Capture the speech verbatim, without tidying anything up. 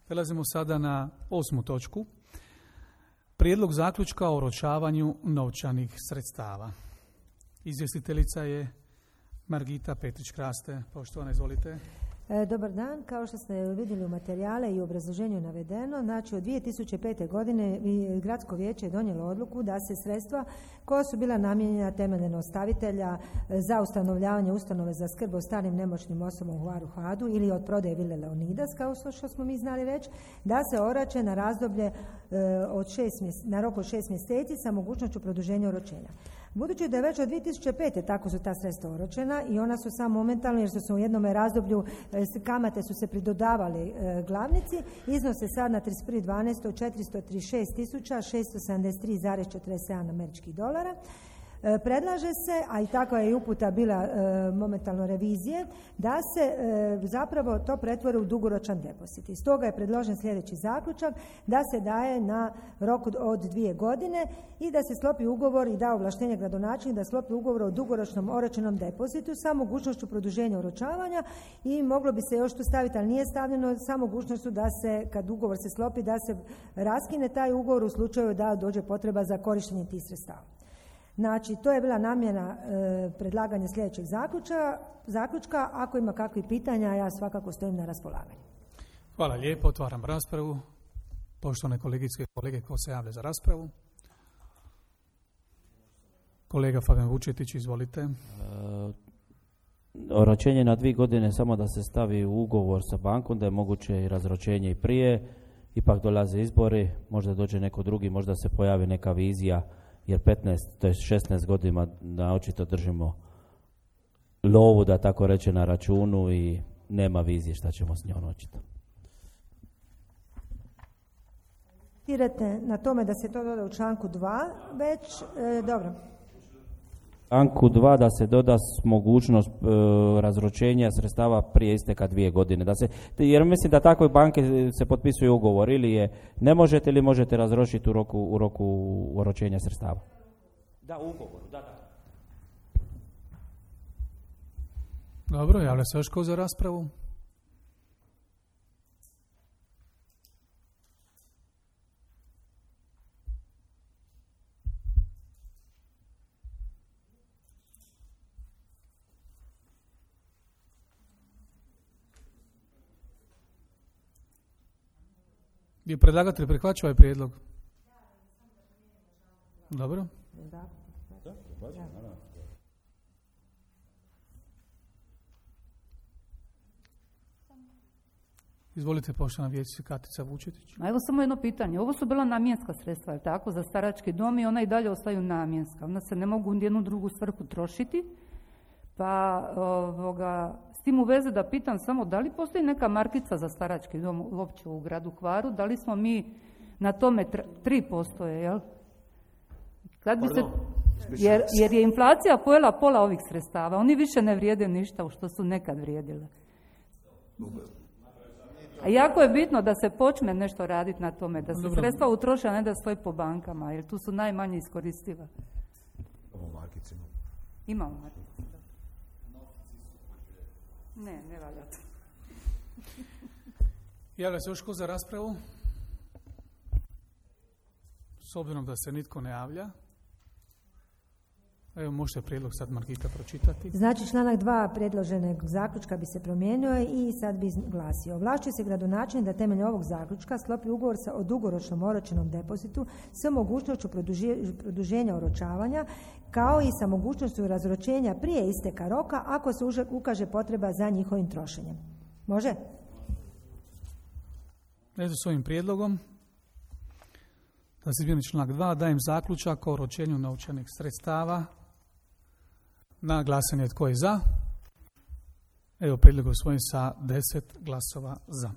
Prelazimo sada na osmu točku. Prijedlog zaključka o oročavanju novčanih sredstava. Izvjestiteljica je Margita Petrić-Kraste. Poštovana, izvolite. Dobar dan. Kao što ste vidjeli u materijale i u obrazloženju navedeno, znači od dvije tisuće pete. godine Gradsko vijeće je donijelo odluku da se sredstva koja su bila namijenjena temeljem ostavitelja za ustanovljavanje ustanove za skrb o starim nemoćnim osobama u Hvaru Hadu ili od prodaje Vile Leonidas, kao što smo mi znali već, da se oroče na razdoblje od šest mjeseci, na rok od šest mjeseci sa mogućnošću produženja oročenja. Budući da je već od dvije tisuće pete. tako su ta sredstva oročena i ona su samo momentalno, jer su se u jednom razdoblju kamate su se pridodavali e, glavnici, iznose sad na trideset prvi dvanaesti četiristo trideset šest tisuća šesto sedamdeset tri zarez četrdeset sedam američkih dolara. E, predlaže se, a i tako je i uputa bila e, momentalno revizije, da se e, zapravo to pretvori u dugoročan depozit. Iz toga je predložen sljedeći zaključak, da se daje na rok od, od dvije godine i da se sklopi ugovor i da ovlaštenje gradonačelnika da sklopi ugovor o dugoročnom oročenom depozitu sa mogućnošću produženja oročavanja i moglo bi se još tu staviti, ali nije stavljeno, sa mogućnošću da se, kad ugovor se sklopi, da se raskine taj ugovor u slučaju da dođe potreba za korištenje tih sredstava. Znači, to je bila namjena e, predlaganja sljedećeg zaključka, zaključka. Ako ima kakvih pitanja, ja svakako stojim na raspolaganju. Hvala lijepo, otvaram raspravu. Poštovane kolegice i kolege, ko se javlja za raspravu? Kolega Fabijan Vučetić, izvolite. E, oročenje na dvije godine samo da se stavi u ugovor sa bankom, da je moguće i razročenje i prije, ipak dolaze izbori, možda dođe neko drugi, možda se pojavi neka vizija, jer petnaest, to je šesnaest godina da očito držimo lovu, da tako reče, na računu i nema vizije šta ćemo s njom očito. Tirate na tome da se to doda u članku dva, već, e, dobro. Članku dva da se doda mogućnost e, razročenja sredstava prije isteka dvije godine. Da se, jer mislim da takve banke se potpisuju ugovor, ili je ne možete ili možete razročiti u roku, u roku oročenja sredstava. Da, u ugovoru, da, da. Dobro, javlja se još ko za raspravu? Je predlagatelj prihvaća ovaj prijedlog? Dobro. Izvolite, poštovana vijećnica Katica Vučetić. A evo samo jedno pitanje. Ovo su bila namjenska sredstva, je tako, za starački dom i ona i dalje ostaju namjenska. Ona se ne mogu u jednu drugu svrhu trošiti. Pa ovoga, s tim u vezi da pitam samo da li postoji neka markica za starački dom uopće u gradu Hvaru, da li smo mi na tome tri posto je, jel? Kad bi se, jer, jer je inflacija pojela pola ovih sredstava, oni više ne vrijede ništa u što su nekad vrijedile. A jako je bitno da se počne nešto raditi na tome, da se Dobro. sredstva utroše, a ne da stoji po bankama, jer tu su najmanje iskoristiva. Imamo markicu. Imamo markicu. Ne, ne valja to. Javlja se još ko za raspravu? S obzirom da se nitko ne javlja. Evo, možete prijedlog sad Margita pročitati. Znači, članak dva predloženog zaključka bi se promijenio i sad bi glasio. Ovlašćuje se gradonačelnik da temeljem ovog zaključka sklopi ugovor sa o dugoročnom oročenom depozitu sa mogućnošću produženja oročavanja, kao i sa mogućnošću razročenja prije isteka roka ako se ukaže potreba za njihovim trošenjem. Može? Eto, s ovim prijedlogom da se izmijeni članak dva, dajem zaključak o oročenju novčanih sredstava. Na glasanje tko je za. Evo, prijedlog usvojen sa deset glasova za.